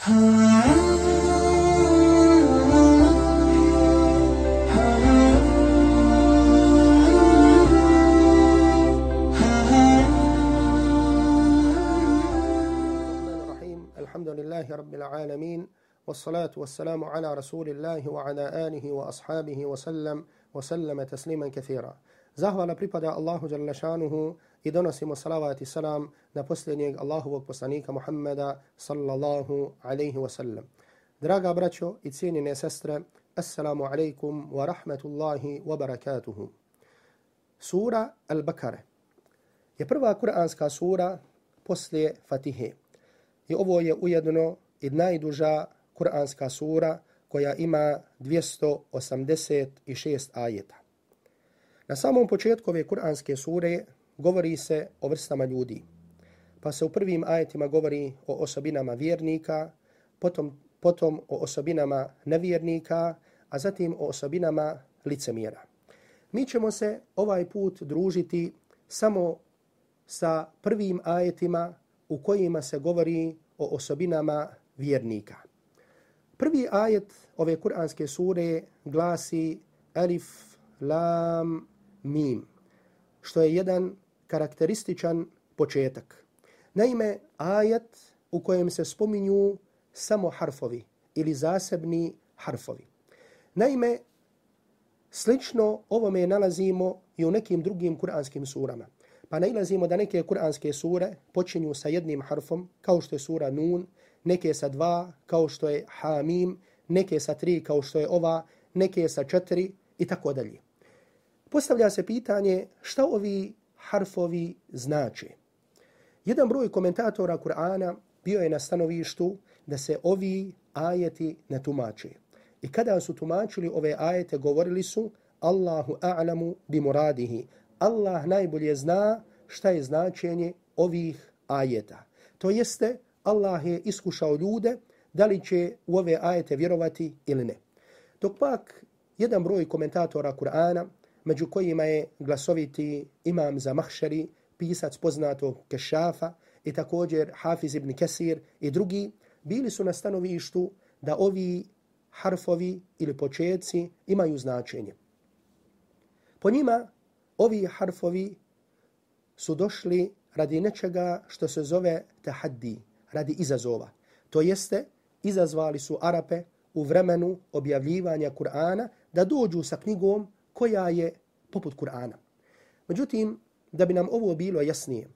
رب العالمين والصلاة والسلام على رسول الله وعلى آله وأصحابه وسلم تسليما كثيرا. Zahvala pripada Allahu dželle šanuhu i donosimo salavat i salam na posljednjeg Allahovog poslanika Muhammeda sallallahu alejhi ve sellem. Draga braćo i cijenjene sestre, assalamu alejkum wa rahmatullahi wa barakatuhu. Sura Al-Bakara je prva kuranska sura poslije Fatihe. I ovo je ujedno i najduža kuranska sura koja ima 286 ajeta. Na samom početku ove kuranske sure govori se o vrstama ljudi. Pa se u prvim ajetima govori o osobinama vjernika, potom o osobinama nevjernika, a zatim o osobinama licemjera. Mi ćemo se ovaj put družiti samo sa prvim ajetima u kojima se govori o osobinama vjernika. Prvi ajet ove kuranske sure glasi Alif, Lam, Mim, što je jedan karakterističan početak. Naime, ajet u kojem se spominju samo harfovi ili zasebni harfovi. Naime, slično ovome nalazimo i u nekim drugim kuranskim surama. Pa nailazimo da neke kuranske sure počinju sa jednim harfom, kao što je sura Nun, neke sa 2, kao što je Hamim, neke sa 3, kao što je ova, neke sa 4 i tako dalje. Postavlja se pitanje šta ovi harfovi znače. Jedan broj komentatora Kur'ana bio je na stanovištu da se ovi ajeti ne tumače. I kada su tumačili ove ajete, govorili su Allahu a'lamu bi muradihi. Allah najbolje zna šta je značenje ovih ajeta. To jeste, Allah je iskušao ljude da li će u ove ajete vjerovati ili ne. Dok pak jedan broj komentatora Kur'ana, među kojima je glasoviti Imam Zamahšari, pisac poznatog Kešafa, i također Hafiz ibn Kesir i drugi, bili su na stanovištu da ovi harfovi ili početci imaju značenje. Po njima ovi harfovi su došli radi nečega što se zove tahaddi, radi izazova. To jeste, izazvali su Arape u vremenu objavljivanja Kur'ana da dođu sa knjigom koja je poput Kur'ana. Međutim, da bi nam ovo bilo jasnije,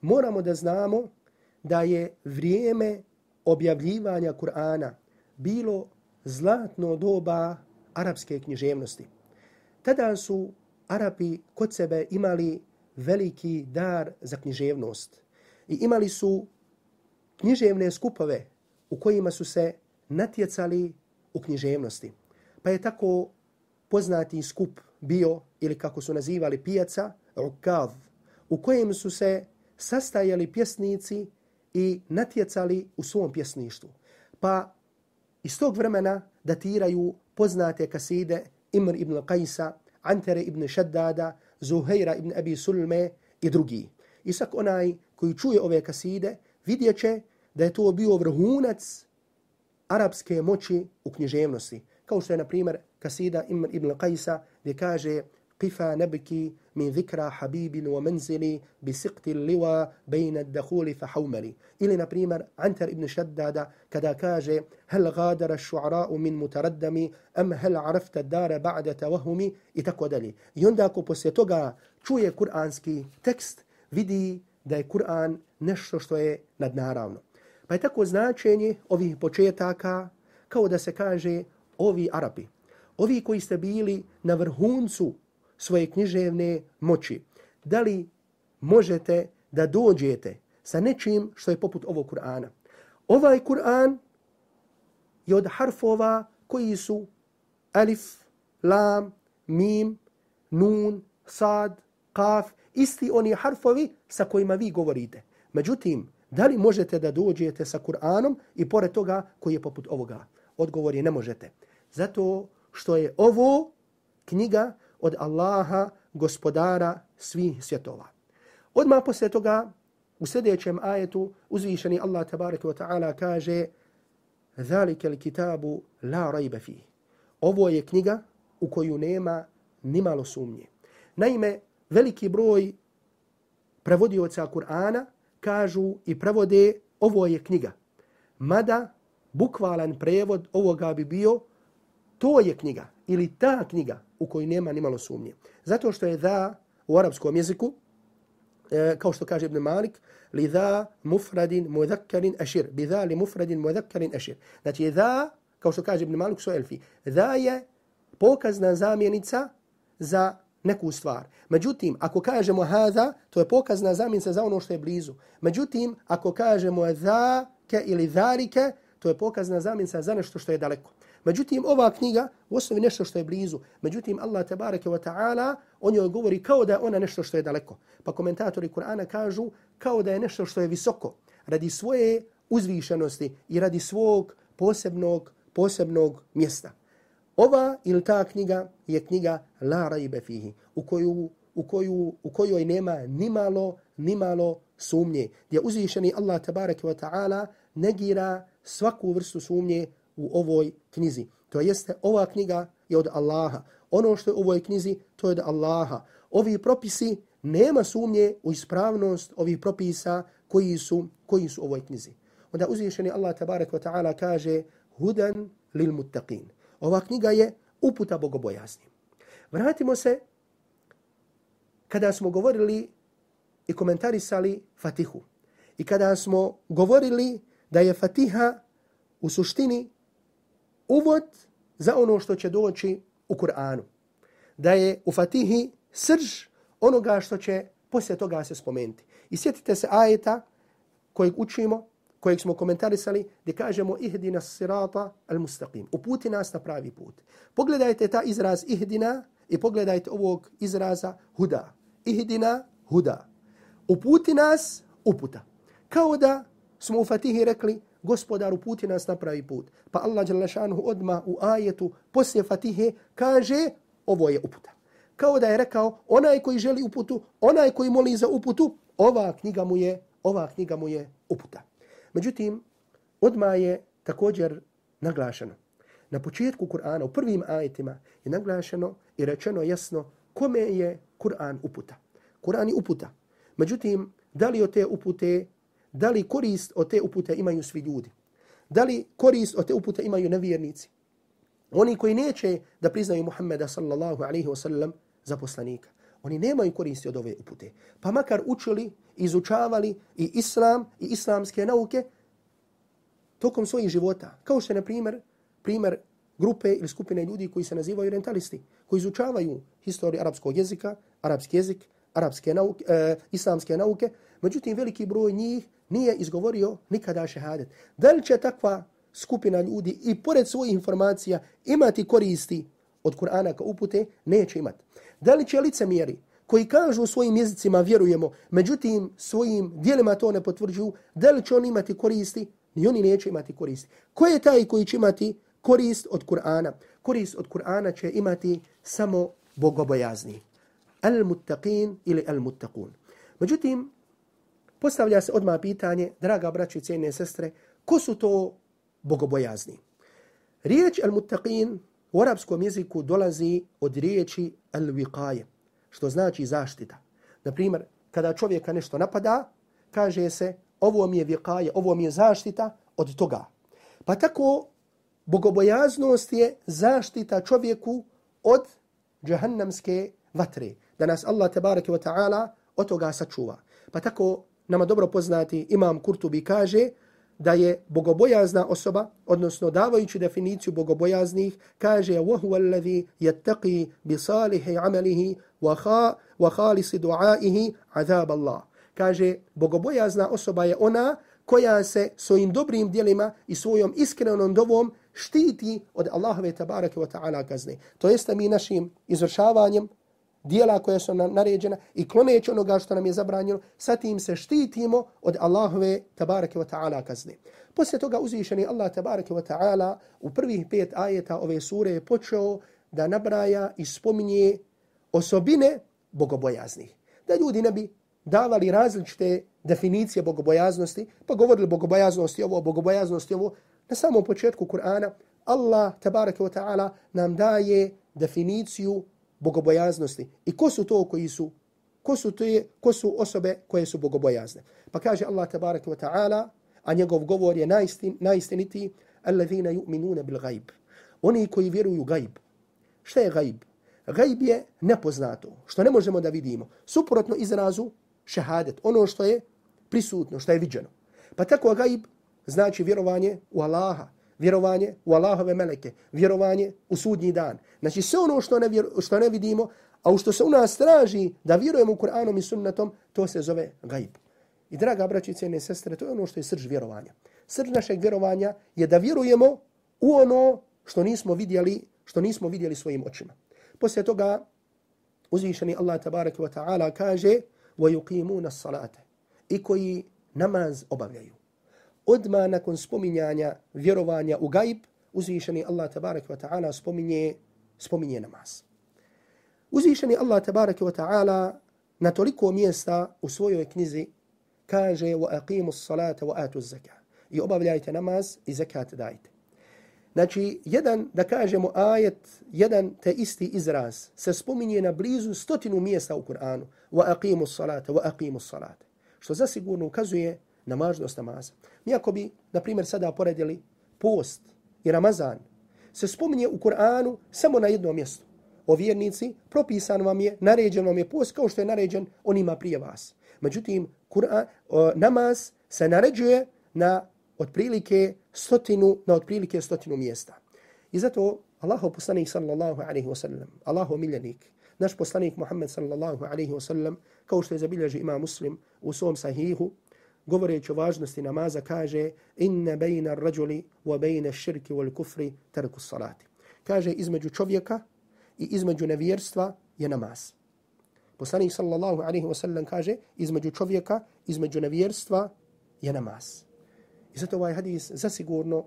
moramo da znamo da je vrijeme objavljivanja Kur'ana bilo zlatno doba arapske književnosti. Tada su Arapi kod sebe imali veliki dar za književnost i imali su književne skupove u kojima su se natjecali u književnosti. Pa je tako poznati skup bio, ili kako su nazivali pijaca, Ukav, u kojem su se sastajali pjesnici i natjecali u svom pjesništvu. Pa iz tog vremena datiraju poznate kaside Imr ibn Qajsa, Antere ibn Šaddada, Zuhejra ibn Abi Sulme i drugi. I sak onaj koji čuje ove kaside vidjet će da je to bio vrhunac arapske moći u književnosti. Kao što je, na primjer, kasida Imr ibn Qajsa gdje kaže Qifa nebki min zikra habibin wa menzili bi siqti liwa bejna dakhuli fa haumali. Ili, na primjer, Antar ibn Šaddada kada kaže hel gadara šu'ra'u min mutaraddami am hel arafta dara ba'da tawahumi i tako dalje. I onda ako poslije toga čuje kuranski tekst, vidi da je Kur'an nešto što je nadnaravno. Pa je tako značenje ovih početaka kao da se kaže ovi Arapi, ovi koji ste bili na vrhuncu svoje književne moći, da li možete da dođete sa nečim što je poput ovog Kur'ana? Ovaj Kur'an je od harfova koji su Alif, Lam, Mim, Nun, Sad, Kaf, isti oni harfovi sa kojima vi govorite. Međutim, da li možete da dođete sa Kur'anom i pored toga koji je poput ovoga? Odgovor je ne možete. Zato što je ovo knjiga od Allaha, gospodara svih svjetova. Odmah poslije toga, u sljedećem ajetu, uzvišeni Allah tabaraka wa ta'ala kaže Zalika al-kitabu la rajba fihi. Ovo je knjiga u koju nema nimalo sumnje. Naime, veliki broj prevodioca Kur'ana kažu i prevode ovo je knjiga. Mada bukvalan prevod ovoga bi bio to je knjiga ili ta knjiga u kojoj nema nimalo sumnje. Zato što je da u arapskom jeziku, kao što kaže Ibn Malik, li da mufradin mudhakkarin ashir. Bi da li mufradin mudhakkarin ashir. Znači da, kao što kaže Ibn Malik su elfi, da je pokazna zamjenica za neku stvar. Međutim, ako kažemo hada, to je pokazna zamjenica za ono što je blizu. Međutim, ako kažemo zake ili zarike, to je pokazna zamjenica za nešto što je daleko. Međutim, ova knjiga u osnovi nešto što je blizu. Međutim, Allah tebareke wa ta'ala o njoj govori kao da je ona nešto što je daleko. Pa komentatori Kur'ana kažu kao da je nešto što je visoko. Radi svoje uzvišenosti i radi svog posebnog mjesta. Ova ili ta knjiga je knjiga la rajbe fihi, u kojoj nema nimalo sumnje. Gdje uzvišeni Allah tebareke wa ta'ala negira svaku vrstu sumnje u ovoj knjizi. To jeste, ova knjiga je od Allaha. Ono što je u ovoj knjizi, to je od Allaha. Ovi propisi, nema sumnje u ispravnost ovih propisa koji su u ovoj knjizi. Onda uzvišeni Allah tabaraka wa ta'ala kaže hudan lil muttaqin. Ova knjiga je uputa bogobojaznim. Vratimo se kada smo govorili i komentarisali Fatihu. I kada smo govorili da je Fatiha u suštini uvod za ono što će doći u Kur'anu. Da je u Fatihi srž onoga što će poslije toga se spomenuti. I sjetite se ajeta kojeg učimo, kojeg smo komentarisali, gdje kažemo ihdina sirata al-mustaqim. Uputi nas na pravi put. Pogledajte ta izraz ihdina i pogledajte ovog izraza huda. Ihdina huda. Uputi nas uputa. Kao da smo u Fatihi rekli Gospodar uputi nas na pravi put. Pa Allah dželle šanehu odmah u ajetu poslije Fatihe kaže ovo je uputa. Kao da je rekao onaj koji želi uputu, onaj koji moli za uputu, ova knjiga mu je uputa. Međutim, odmah je također naglašeno. Na početku Kur'ana, u prvim ajetima je naglašeno i rečeno jasno kome je Kur'an uputa. Kur'an je uputa. Međutim, da li od te upute, da li korist od te upute imaju svi ljudi? Da li korist od te upute imaju nevjernici? Oni koji neće da priznaju Muhammeda sallallahu alaihi wa sallam za poslanika. Oni nemaju koristi od ove upute. Pa makar učili, izučavali i islam i islamske nauke tokom svojih života. Kao što je, na primjer grupe ili skupine ljudi koji se nazivaju orientalisti, koji izučavaju historiju arapskog jezika, arapski jezik, arapske nauke, islamske nauke. Međutim, veliki broj njih nije izgovorio nikada šehadet. Da li će takva skupina ljudi i pored svojih informacija imati koristi od Kur'ana kao upute? Neće imati. Da li će licemjeri koji kažu u svojim jezicima vjerujemo, međutim svojim dijelima to ne potvrđuju, da li će oni imati koristi? Ni oni neće imati koristi. Ko je taj koji će imati korist od Kur'ana? Korist od Kur'ana će imati samo bogobojazni. Al-muttaqin ili al-muttaqun. Međutim, postavlja se odmah pitanje, draga braći i cijene sestre, ko su to bogobojazni? Riječ al-muttaqin u arapskom jeziku dolazi od riječi al-wiqaje, što znači zaštita. Naprimjer, kada čovjeka nešto napada, kaže se ovo mi je wiqaje, ovo mi je zaštita od toga. Pa tako bogobojaznost je zaštita čovjeku od džahannamske vatre. Da nas Allah tebareke wa ta'ala od toga sačuva. Pa tako nama dobro poznati Imam Kurtubi kaže da je bogobojazna osoba, odnosno davajući definiciju bogobojaznih, kaže وَهُوَ الَّذِي يَتَّقِي بِصَالِحِ عَمَلِهِ وَخَالِصِ دُعَائِهِ عَذَابَ اللَّهِ. Kaže, bogobojazna osoba je ona koja se svojim dobrim djelima i svojom iskrenom dovom štiti od Allahove tabarake wa ta'ala kazne. To jeste mi našim izvršavanjem dijela koja su nam naređena i kloneći onoga što nam je zabranjeno, sa tim se štitimo od Allahove tabarake wa ta'ala kazne. Poslije toga uzvišeni Allah tabarake wa ta'ala u prvih 5 ajeta ove sure je počeo da nabraja i spominje osobine bogobojaznih. Da ljudi ne bi davali različite definicije bogobojaznosti, pa govorili bogobojaznosti ovo, Na samom početku Kur'ana Allah tabaraka wa ta'ala nam daje definiciju bogobojaznosti. I ko su to koji su? Ko su osobe koje su bogobojazne? Pa kaže Allah tabaraka wa ta'ala, a njegov govor je najistinitiji, alladhina yu'minuna bil ghaib. Oni koji vjeruju ghaib. Šta je ghaib? Ghaib je nepoznato, što ne možemo da vidimo. Suprotno izrazu šehadet, ono što je prisutno, što je viđeno. Pa tako ghaib znači vjerovanje u Allaha, vjerovanje u Allahove meleke, vjerovanje u sudnji dan. Znači sve ono što ne vidimo, a u što se u nas traži da vjerujemo u Kur'anom i sunnetom, to se zove ghaib. I draga braći i cijene sestre, to je ono što je srž vjerovanja. Srž našeg vjerovanja je da vjerujemo u ono što nismo vidjeli svojim očima. Poslije toga uzvišeni Allah tabaraka wa ta'ala kaže وَيُقِيمُونَ الصَّلَاةَ i koji namaz obavljaju. Odmah nakon spominjanja vjerovanja u gajb, uzvišeni Allah tabaraka wa ta'ala spominje namaz. Uzvišeni Allah tabaraka wa ta'ala na toliko mjesta u svojoj knjizi kaže وَأَقِيمُوا الصَّلَاةَ وَآتُوا الزَّكَاةَ i obavljajte namaz i zekat dajte. Znači, da kažemo ajet, jedan te isti izraz se spominje na blizu 100 mjesta u Kur'anu. وَأَقِيمُوا الصَّلَاةَ وَأَقِيمُوا الصَّلَاةَ što zasigurno ukazuje na važnost namaza. Mi ako bi, na primjer, sada poredili post i Ramazan, se spominje u Kur'anu samo na jednom mjestu. O vjernici, propisan vam je, naređen vam je post kao što je naređen onima prije vas. Međutim, namaz se naređuje na otprilike 100 mjesta. I zato Allahov poslanik sallallahu alejhi ve sellem, Allahov miljenik, naš poslanik Muhammed sallallahu alejhi ve sellem, kao što je zabilježio Imam Muslim u svom sahihu, govoreći o važnosti namaza, kaže inna bejna ar-rajuli wa bejna ash-shirki wal kufri tarku as-salati. Kaže između čovjeka i između nevjerstva je namaz. Poslanik sallallahu alejhi ve sellem kaže između čovjeka, između nevjerstva je namaz. I zato ovaj hadis zasigurno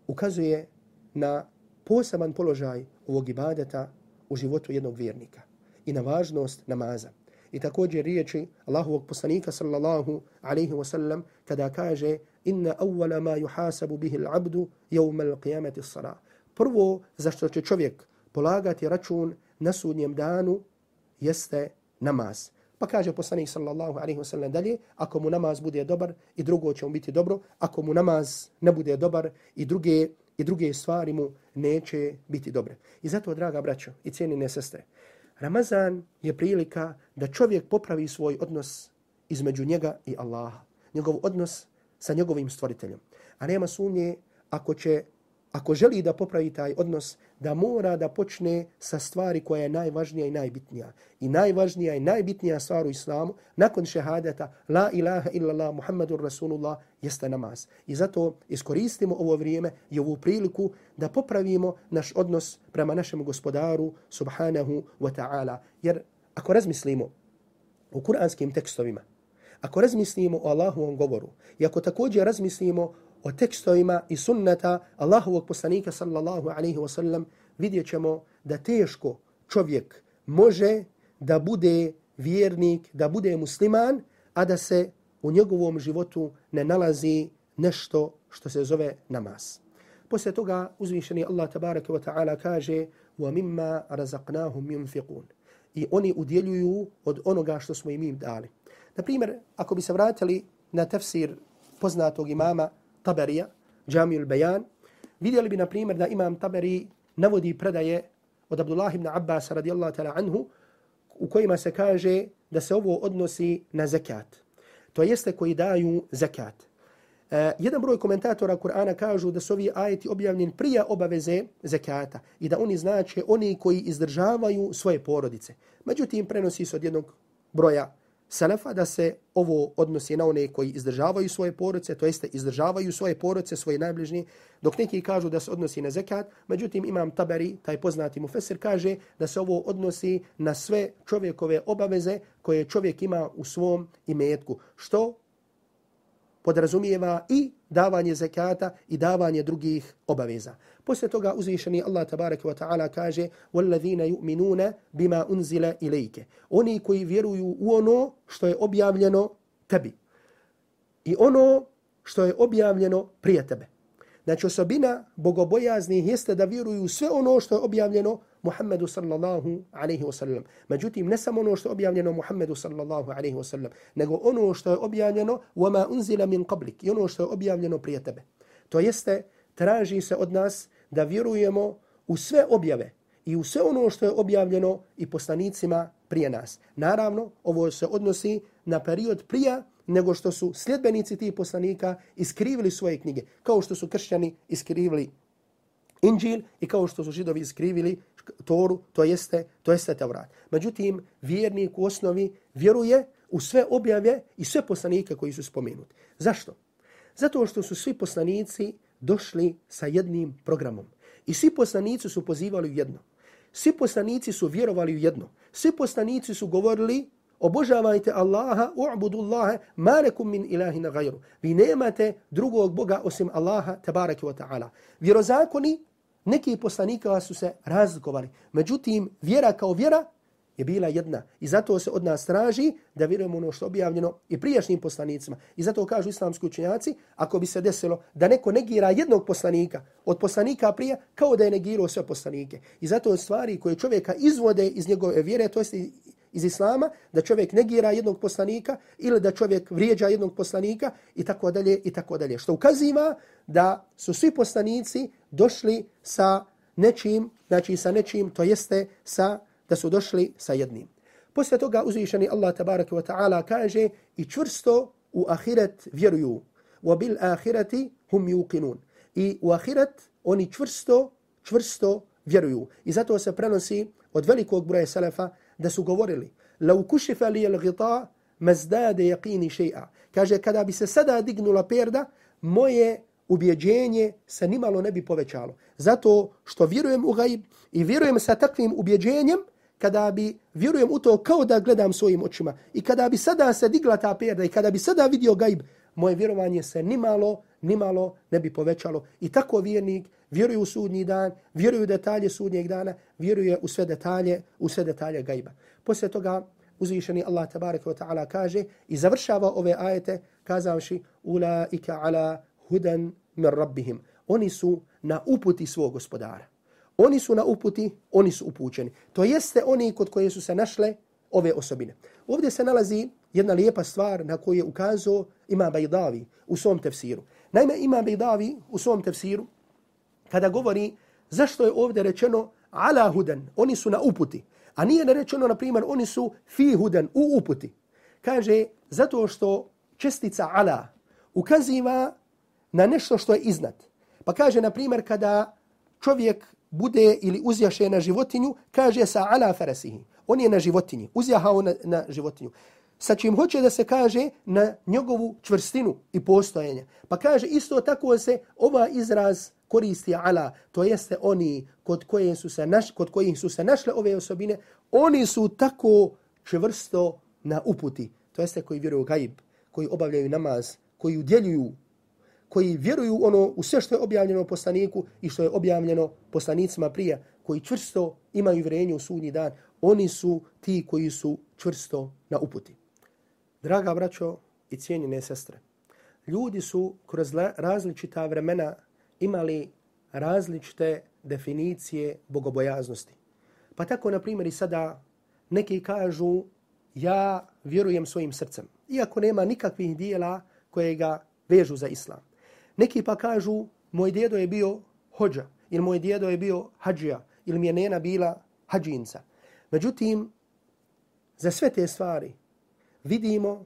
ukazuje na poseban položaj ovog ibadeta u životu jednog vjernika i na važnost namaza. I također riječi Allahovog poslanika sallallahu alejhi ve sellem kada kaže inna awwala ma yuhasabu bihi al-'abdu yawm al-qiyamati as-salah. Prvo za što će čovjek polagati račun na sudnjem danu jeste namaz. Pa kaže poslanik sallallahu alejhi ve sellem dalje, ako mu namaz bude dobar i drugo će mu biti dobro, ako mu namaz ne bude dobar i druge stvari mu neće biti dobre. I zato, draga braćo i cijenine sestre, Ramazan je prilika da čovjek popravi svoj odnos između njega i Allaha, njegov odnos sa njegovim stvoriteljem. A nema sumnje ako želi da popravi taj odnos, da mora da počne sa stvari koja je najvažnija i najbitnija. I najvažnija i najbitnija stvar u islamu, nakon šehadeta, la ilaha illallah, Muhammadur Rasulullah, jeste namaz. I zato iskoristimo ovo vrijeme i ovu priliku da popravimo naš odnos prema našem gospodaru, subhanahu wa ta'ala. Jer ako razmislimo o kuranskim tekstovima, ako razmislimo o Allahovom govoru i ako također razmislimo o tekstovima i sunnata Allahovog poslanika sallallahu alejhi ve sellem, vidjet ćemo da teško čovjek može da bude vjernik, da bude musliman, a da se u njegovom životu ne nalazi nešto što se zove namaz. Poslije toga uzvišeni Allah tabaraka wa ta'ala kaže وَمِمَّا رَزَقْنَاهُمْ يُنْفِقُونَ i oni udjeljuju od onoga što smo im dali. Na primjer, ako bi se vratili na tefsir poznatog imama Taberija, Džamijul Bejan, vidjeli bi, na primjer, da imam Taberi navodi predaje od Abdullah ibn Abbas radijallahu ta'ala anhu, u kojima se kaže da se ovo odnosi na zekat. To jeste koji daju zekat. Jedan broj komentatora Kur'ana kažu da su ovi ajeti objavljeni prije obaveze zekata i da oni znače oni koji izdržavaju svoje porodice. Međutim, prenosi se od jednog broja Selefa da se ovo odnosi na one koji izdržavaju svoje porodice, to jeste izdržavaju svoje porodice, svoje najbližnje, dok neki kažu da se odnosi na zekat. Međutim, imam Taberi, taj poznati mufesir, kaže da se ovo odnosi na sve čovjekove obaveze koje čovjek ima u svom imetku, što podrazumijeva i davanje zekata i davanje drugih obaveza. Poslije toga uzvišeni Allah tabaraka wa ta'ala kaže وَالَّذِينَ يُؤْمِنُونَ بِمَا أُنزِلَ إِلَيْكَ oni koji vjeruju u ono što je objavljeno tebi i ono što je objavljeno prije tebe. Znači osobina bogobojaznih jeste da vjeruju sve ono što je objavljeno Muhammedu sallallahu alaihi wa sallam. Međutim, ne samo ono što je objavljeno Muhammedu sallallahu alaihi wa sallam, nego ono što je objavljeno وَمَا أُنزِلَ مِنْ قَبْلِكَ i ono što je objavljeno prije tebe. To jeste, traži se od nas da vjerujemo u sve objave i u sve ono što je objavljeno i poslanicima prije nas. Naravno, ovo se odnosi na period prije nego što su sljedbenici tih poslanika iskrivili svoje knjige, kao što su kršćani iskrivili Inđil i kao što su Židovi iskrivili Toru, to jeste Tevrat. Međutim, vjernik u osnovi vjeruje u sve objave i sve poslanike koji su spomenuti. Zašto? Zato što su svi poslanici došli sa jednim programom. I svi poslanici su pozivali u jedno. Svi poslanici su vjerovali u jedno. Svi poslanici su govorili obožavajte Allaha, u'budullaha, ma lakum min ilahina gajru. Vi nemate drugog Boga osim Allaha, tabaraka wa ta'ala. Vjerozakoni neki poslanika su se razlikovali. Međutim, vjera kao vjera je bila jedna. I zato se od nas traži da vjerujemo ono što je objavljeno i prijašnjim poslanicima. I zato kažu islamski učenjaci, ako bi se desilo da neko negira jednog poslanika od poslanika prije, kao da je negirao sve poslanike. I zato stvari koje čovjeka izvode iz njegove vjere, to jest iz islama, da čovjek negira jednog poslanika ili da čovjek vrijeđa jednog poslanika i tako dalje i tako dalje. Što ukaziva da su svi poslanici došli sa nečim, znači sa nečim, to jeste da su došli sa jednim. Poslije toga uzvišeni Allah tabaraka wa ta'ala kaže i čvrsto u ahiret vjeruju. Wa bil ahireti hum yuqinun. I u ahiret oni čvrsto vjeruju. I zato se prenosi od velikog broja selefa da su govorili لو كشف لي الغطاء ما ازداد يقيني شيئا. Kaže, kada bi se sada dignula perda, moje ubjeđenje se nimalo ne bi povećalo. Zato što vjerujem u gajb i vjerujem sa takvim ubjeđenjem, kada bi vjerujem u to kao da gledam svojim očima. I kada bi sada se digla ta perda i kada bi sada vidio gajb, moje vjerovanje se nimalo ne bi povećalo. I tako vjernik vjeruje u sudnji dan, vjeruje u detalje sudnjeg dana, vjeruje u sve detalje gajba. Poslije toga uzvišeni Allah tabaraka wa ta'ala kaže i završava ove ajete kazavši ulaika ala hudan min rabbihim. Oni su na uputi svog gospodara. Oni su na uputi, oni su upućeni. To jeste oni kod koje su se našle ove osobine. Ovdje se nalazi jedna lijepa stvar na koju je ukazao Imam Bajdavi u svom tefsiru. Naime, Imam Bajdavi u svom tefsiru kada govori zašto je ovdje rečeno ala hudan, oni su na uputi, a nije rečeno, na primjer, oni su fi hudan, u uputi. Kaže, zato što čestica ala ukaziva na nešto što je iznad. Pa kaže, na primjer, kada čovjek bude ili uzjaše na životinju, kaže sa ala farasihi. On je na životinji, uzjahao na životinju. Sa čim hoće da se kaže na njegovu čvrstinu i postojanje. Pa kaže, isto tako se ova izraz koristi ala, to jeste oni kod kojih su se našle ove osobine, oni su tako čvrsto na uputi. To jeste koji vjeruju gajb, koji obavljaju namaz, koji udjeljuju, koji vjeruju u sve što je objavljeno poslaniku i što je objavljeno poslanicima prije, koji čvrsto imaju vjerenje u sudnji dan, oni su ti koji su čvrsto na uputi. Draga braćo i cijenjene sestre, ljudi su kroz različita vremena imali različite definicije bogobojaznosti. Pa tako, na primjer, i sada neki kažu ja vjerujem svojim srcem, iako nema nikakvih dijela koje ga vežu za islam. Neki pa kažu moj djedo je bio hođa, ili moj djedo je bio hađija, ili mi je nena bila hađinca. Međutim, za sve te stvari vidimo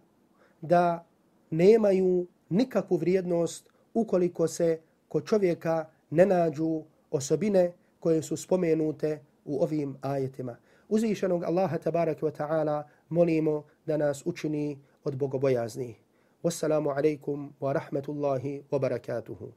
da nemaju nikakvu vrijednost ukoliko se kod čovjeka ne nađu osobine koje su spomenute u ovim ajetima. Uzvišenog Allaha tabaraka wa ta'ala molimo da nas učini od bogobojaznih. Wassalamu alaikum wa rahmatullahi wa barakatuhu.